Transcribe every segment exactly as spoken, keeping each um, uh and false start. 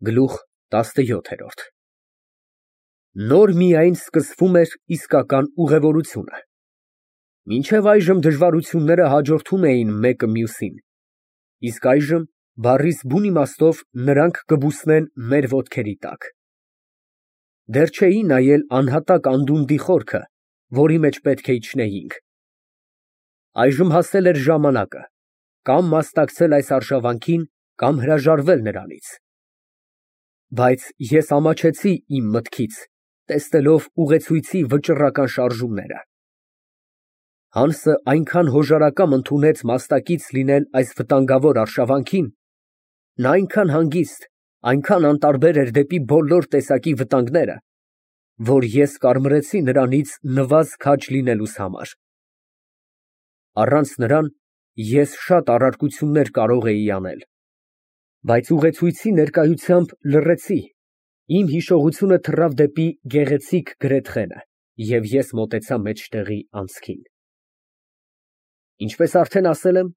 Գլուխ տասնյոթ։ Նոր միայն սկսվում էր իսկական ուղևորությունը։ Մինչև այժմ դժվարությունները հաջորդում էին մեկը մյուսին, իսկ այժմ, բառիս բուն իմաստով, նրանք կբուսնեն մեր ոտքերի տակ։ Դեռ չէի նայել անհատակ անդունդի խորքը, որի մեջ պետք է իջնեինք։ Այժմ հասել էր ժամանակը կամ մասնակցել այս արշավանքին, կամ հրաժարվել նրանից։ Բայց ես ամաչեցի իմ մտքից, տեսնելով ուղեցույցի վճռական շարժումները։ Հանսը այնքան հոժարակամ ընդունեց մաստակից լինել այս վտանգավոր արշավանքին, նա այնքան հանգիստ, այնքան անտարբեր էր դեպի բոլոր տեսակի վտանգները, որ ես կարմրեցի նրանից նվազ քաջ լինելուս համար։ Առանց նրան ես շատ առարկություններ կարող էի անել, բայց ուղեցույցի ներկայությամբ լռեցի, իմ հիշողությունը թռավ դեպի գեղեցիկ Գրեթխենը, և ես մոտեցա մեջտեղի անցքին։ Ինչպես արդեն ասել եմ,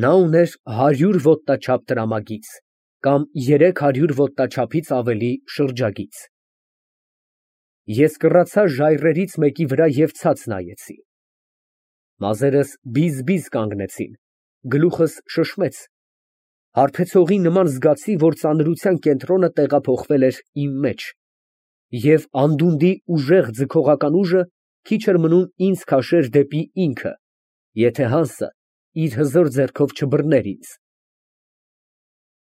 նա ուներ հարյուր ոտնաչափ տրամագիծ կամ երեք հարյուր ոտնաչափից ավելի շրջագիծ։ Ես կռացա ժայռերից մեկի վրա և ցած նայեցի։ Մազերս բիզ֊բիզ կանգնեցին, գլուխս շշմեց, հարբեցողի նման զգացի, որ ծանրության կենտրոնը տեղափոխվել էր իմ մեջ, և անդունդի ուժեղ ձգողական ուժը քիչ էր մնում ինձ քաշեր դեպի ինքը, եթե Հանսը իր հզոր ձեռքով չբռներ ինձ։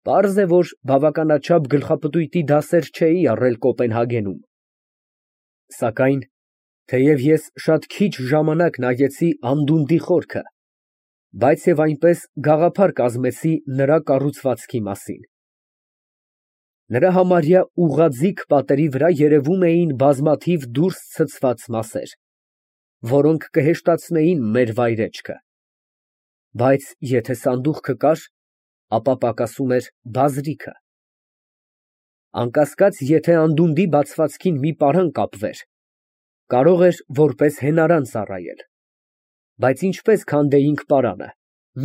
Պարզ է, որ բավականաչափ գլխապտույտի դասեր չէի առել Կոպենհագենում, սակայն, թեև ես շատ քիչ ժամանակ նայեցի անդունդի խորքը, բայց և այնպես գաղափար կազմեցի նրա կառուցվածքի մասին։ Նրա համարյա ուղղաձիգ պատերի վրա երևում էին բազմաթիվ դուրս ցցված մասեր, որոնք կհեշտացնեին մեր վայրեջքը, բայց եթե սանդուղքը կար, ապա պակասում էր բազրիքը։ Անկասկած, եթե անդունդի բացվածքին մի պարան կապվեր, կարող էր որպես հենարան ծառայել, բայց ինչպես քանդեինք պարանը,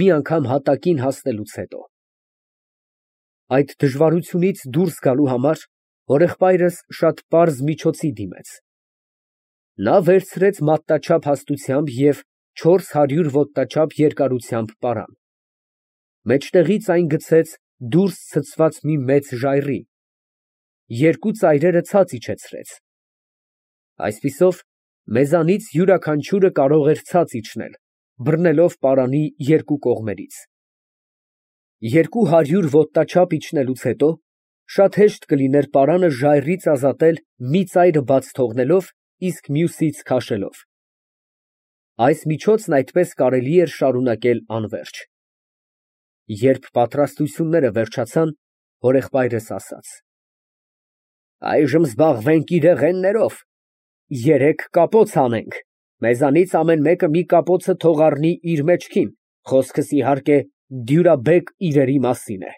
մի անգամ հատակին հասնելուց հետո։ Այդ դժվարությունից դուրս գալու համար հորեղբայրս շատ պարզ միջոցի դիմեց։ Նա վերցրեց մատնաչափ հաստությամբ և չորս հարյուր ոտնաչափ երկարությամբ պարան, մեջտեղից այն գցեց դուրս ցցված մի մեծ ժայռի, երկու ծայրերը ցած իջեցրեց։ Այսպիսով, մեզանից յուրաքանչյուրը կարող էր ցած իջնել, բռնելով պարանի երկու կողմերից։ Երկու հարյուր ոտնաչափ իջնելուց հետո շատ հեշտ կլիներ պարանը ժայռից ազատել մի ծայրը բաց թողնելով, իսկ մյուսից քաշելով։ Այս միջոցն այդպես կարելի էր շարունակել անվերջ։ Երբ պատրաստությունները վերջացան, հորեղբայրս ասաց. «Այժմ զբաղվենք իրեղեններով, երեք կապոց հանենք, մեզանից ամեն մեկը մի կապոցը թող առնի իր մեջքին, խոսքս, իհարկե, դյուրաբեկ իրերի մասին է»։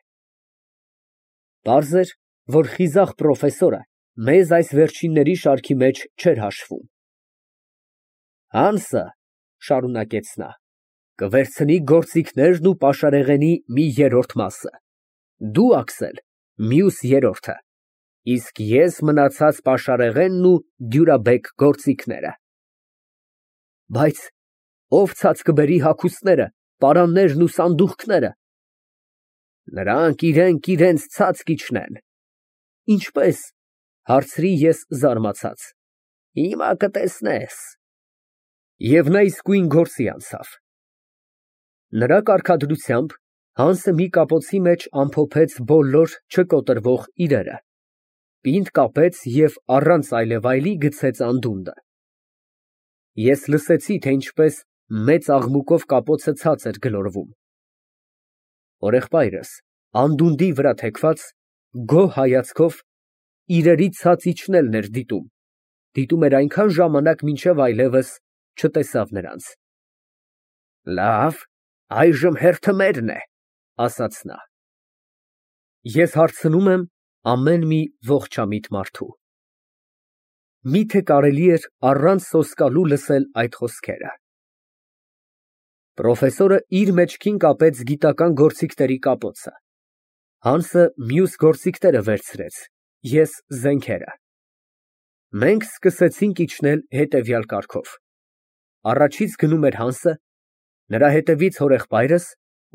Պարզ էր, որ խիզախ պրոֆեսորը մեզ այս վերջինների շարքի մեջ չէր հաշվում։ «Հանսը, ֊ շարունակեց նա, ֊ կվերցնի գործիքներն ու պաշարեղենի մի երրորդ մասը, դու, Աքսել, մյուս երրորդը, իսկ ես մնացած պաշարեղենն ու դյուրաբեկ գործիքները»։ Բայց ո՞վ ցած կբերի հագուստները, պարաններն ու սանդուղքները։ «Նրանք իրենք իրենց ցած կիջնեն»։ Ինչպե՞ս, ֊ հարցրի ես զարմացած։ Հիմա կտեսնես։ Եվ նա իսկույն գործի անցավ։ Նրա կարգադրությամբ Հանսը մի կապոցի մեջ ամփոփեց բոլոր չկոտրվող իրերը, պինդ կապեց և առանց այլևայլի գցեց անդունդը։ Ես լսեցի, թե ինչպես մեծ աղմուկով կապոցը ցած էր գլորվում։ Հորեղբայրս, անդունդի վրա թեքված, գոհ հայացքով, իրերի ցած իջնելն էր դիտում, դիտում էր այնքան ժամանակ, մինչև այլևս չտեսավ նրանց։ «Լավ, այժմ հերթը մերն է, ֊ ասաց նա։ Ես հարցնում եմ ամեն մի ողջամիտ մարդու. մի՞թե կարելի էր առանց սոսկալու լսել այդ խոսքերը։ Պրոֆեսորը իր մեջքին կապեց գիտական գործիքների կապոցը, Հանսը մյուս գործիքները վերցրեց, ես զենքերը։ Մենք սկսեցինք իջնել հետևյալ կարգով. առաջից գնում էր Հանսը, նրա հետևից հորեղբայրս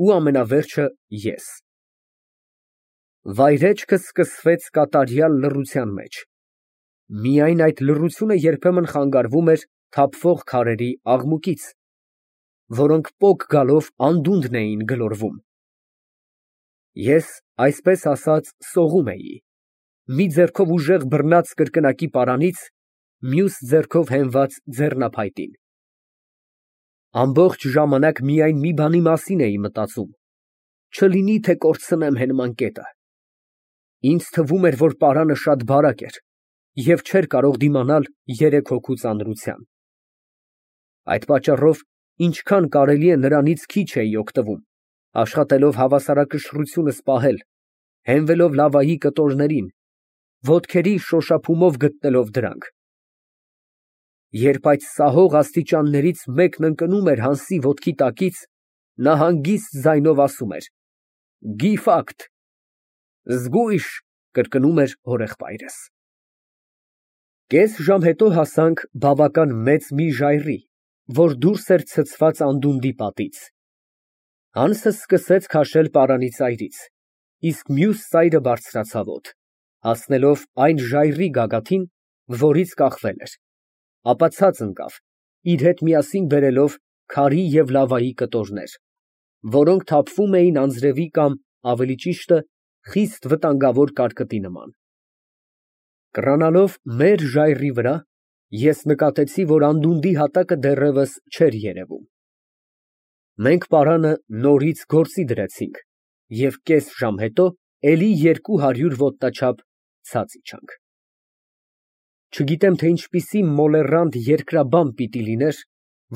ու ամենավերջը ես։ Վայրեջքը սկսվեց կատարյալ լռության մեջ։ Միայն այդ լռությունը երբեմն խանգարվում էր թափվող քարերի աղմուկից, որոնք պոկ գալով անդունդն էին գլորվում։ Ես, այսպես ասած, սողում էի, մի ձեռքով ուժեղ բռնած կրկնակի պարանից, մյուս ձեռքով հենված ձեռնափայտին։ Ամբողջ ժամանակ միայն մի բանի մասին էի մտածում. չլինի թե կորցնեմ հենման կետը։ Ինձ թվում էր, որ պարանը շատ բարակ էր և չէր կարող դիմանալ երեք հոգու ծանրության։ Այդ պատճառով ինչքան կարելի է նրանից քիչ էի օգտվում, աշխատելով հավասարակշռությունս պահել, հենվելով լավայի կտորներին, ոտքերի շոշափումով գտնելով դրանք։ Երբ այդ սահող աստիճաններից մեկն ընկնում էր Հանսի ոտքի տակից, նա հանգիստ ձայնով ասում էր. «Գիֆակտ»։ «Զգույշ», կրկնում էր հորեղբայրս։ Կես ժամ հետո հասանք բավական մեծ մի ժայռի, որ դուրս էր ցցված անդունդի պատից։ Հանսը սկսեց քաշել պարանի ծայրից, իսկ մյուս ծայրը բարձրացավ օդ, հասնելով այն ժայռի գագաթին, որից կախվել էր, ապա ցած ընկավ, իր հետ միասին բերելով քարի և լավայի կտորներ, որոնք թափվում էին անձրևի կամ, ավելի ճիշտը, խիստ վտանգավոր կարկտի նման։ Կռանալով մեր ժայռի վրա, ես նկատեցի, որ անդունդի հատակը դեռևս չէր երևում։ Մենք պարանը նորից գործի դրեցինք և կես ժամ հետո էլի երկու հարյուր ոտնաչափ ցած իջանք։ Չգիտեմ, թե ինչպիսի մոլեռանդ երկրաբան պիտի լիներ,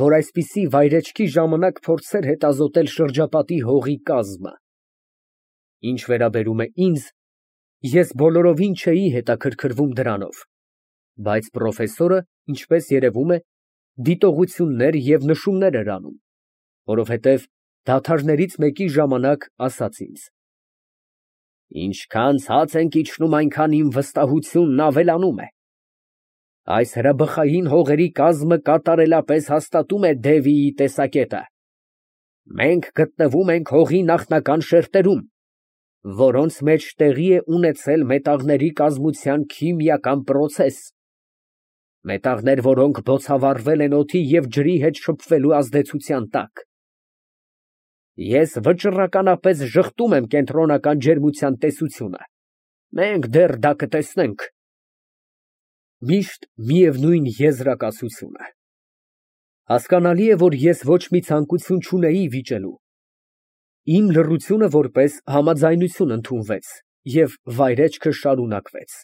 որ այսպիսի վայրեջքի ժամանակ փորձեր հետազոտել շրջապատի հողի կազմը։ Ինչ վերաբերում է ինձ, ես բոլորովին չէի հետաքրքրվում դրանով, բայց պրոֆեսորը, ինչպես երևում է, դիտողություններ և նշումներ էր անում, որովհետև դադարներից մեկի ժամանակ ասաց ինձ. «Ինչքան ցած ենք իջնում, այնքան իմ վստահությունն ավելանում է։ Այս հրաբխային հողերի կազմը կատարելապես հաստատում է Դևիի տեսակետը։ Մենք գտնվում ենք հողի նախնական շերտերում, որոնց մեջ տեղի է ունեցել մետաղների կազմության քիմիական պրոցես, մետաղներ, որոնք բոցավառվել են օդի և ջրի հետ շփվելու ազդեցության տակ։ Ես վճռականապես ժխտում եմ կենտրոնական ջերմության տեսությունը, մենք դեռ դա կտեսնենք»։ Միշտ միևնույն եզրակացությունը։ Հասկանալի է, որ ես ոչ մի ցանկություն չունեի վիճելու։ Իմ լռությունը որպես համաձայնություն ընդունվեց, և վայրեջքը շարունակվեց։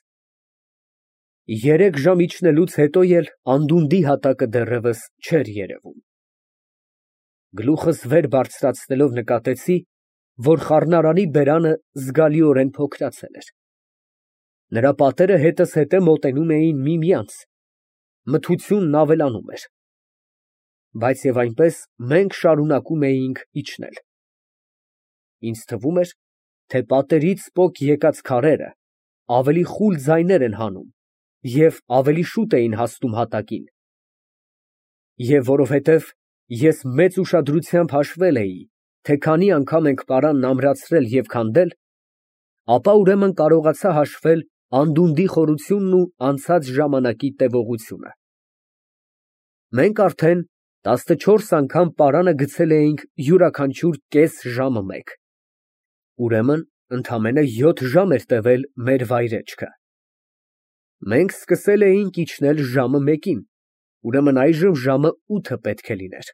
Երեք ժամ իջնելուց հետո էլ անդունդի հատակը դեռևս չէր երևում։ Գլուխս վեր բարձրացնելով նկատեցի, որ խառնարանի բերանը զգալիորեն փոքրացել էր։ Նրա պատերը հետզհետե մոտենում էին միմյանց, մթությունն ավելանում էր։ Բայց և այնպես մենք շարունակում էինք իջնել։ Ինձ թվում էր, թե պատերից պոկ եկած քարերը ավելի խուլ ձայներ են հանում և ավելի շուտ էին հասնում հատակին։ Եվ որովհետև ես մեծ ուշադրությամբ հաշվել էի, թե քանի անգամ ենք պարանն ամրացրել և քանդել, ապա ուրեմն կարողացա հաշվել անդունդի խորությունն ու անցած ժամանակի տևողությունը։ Մենք արդեն տասնչորս անգամ պարանը գցել էինք յուրաքանչյուր կես ժամը մեկ, ուրեմն ընդամենը յոթ ժամ էր տևել մեր վայրեջքը։ Մենք սկսել էինք իջնել ժամը մեկին, ուրեմն այժմ ժամը ութը պետք է լիներ,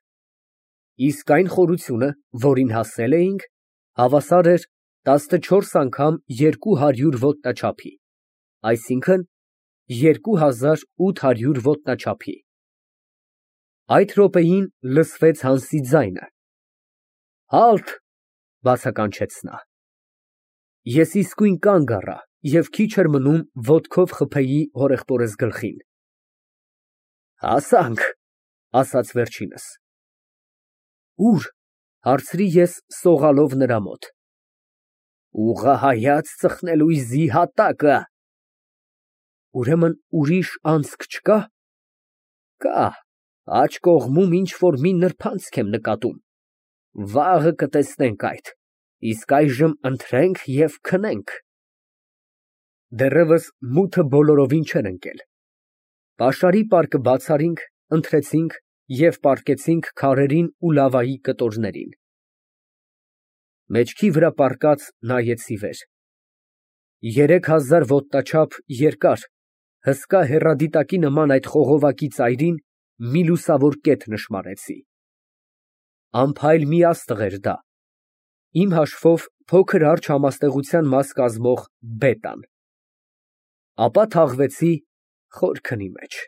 իսկ այն խորությունը, որին հասել էինք, հավասար էր տասնչորս անգամ երկու հարյուր ոտնաչափի, այսինքն՝ երկու հազար ութ հարյուր ոտնաչափի։ Այդ րոպեին լսվեց Հանսի ձայնը։ «Հալթ», բացականչեց նա։ Ես իսկույն կանգ առա և քիչ էր մնում ոտքով խփեի հորեղբորս գլխին։ «Հասանք», ասաց վերջինս։ «Ո՞ւր», հարցրի ես սողալով նրա մոտ։ Ուղղահայաց ծխնելույզի հատակը։ Ուրեմն ուրիշ անցք չկա։ Կա, աջ կողմում ինչ֊որ մի նրբանցք եմ նկատում, վաղը կտեսնենք այդ, իսկ այժմ ընթրենք և քնենք։ Դեռևս մութը բոլորովին չէր ընկել։ Պաշարի պարկը բաց արինք, ընթրեցինք և պառկեցինք քարերին ու լավայի կտորներին։ Մեջքի վրա պառկած նայեցի վեր։ Երեք հազար ոտնաչափ երկար, հսկա հեռադիտակի նման այդ խողովակի ծայրին մի լուսավոր կետ նշմարեցի։ Անփայլ մի աստղ էր դա, իմ հաշվով փոքր արջ համաստեղության մաս կազմող բետան։ Ապա թաղվեցի խոր քնի մեջ։